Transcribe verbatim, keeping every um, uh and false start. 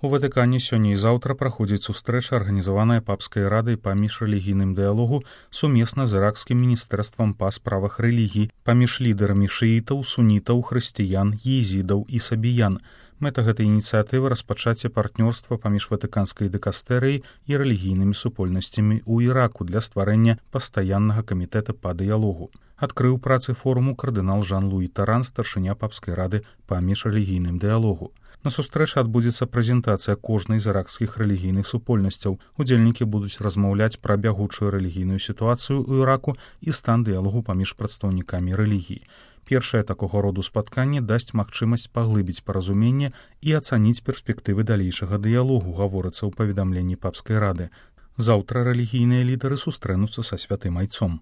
У Ватыкане сёння і заўтра праходзіць сустрэча, арганізаваная папскай радай па міжрэлігійным дыялогу сумесна з іракскім міністэрствам па справах рэлігій паміж лідарамі шыітаў, сунітаў, хрысціян, езідаў і сабіян. Мэта гэтай ініцыятывы распачацце партнёрства паміж ватыканскай дыкастэрыяй і рэлігійнымі супольнасцямі ў Іраку для стварэння пастаяннага камітэта па дыялогу. Адкрыў працы форуму кардынал Жан-Луі Таран, старшыня папскай рады па міжрэлігійным дыялогу. На сустрэчы адбудзецца прэзентацыя кожнай з іракскіх рэлігійных супольнасцяў. Удзельнікі будуць размаўляць пра бягучую рэлігійную сітуацыю ў Іраку і стан дыялогу паміж прадстаўнікамі рэлігіі. Першае такога роду спатканне дасць магчымасць паглыбіць паразуменне і ацаніць перспектывы далейшага дыялогу, гаворыцца ў паведамленні папскай рады. Заўтра рэлігійныя лідары сустрэнуцца са святым айцом.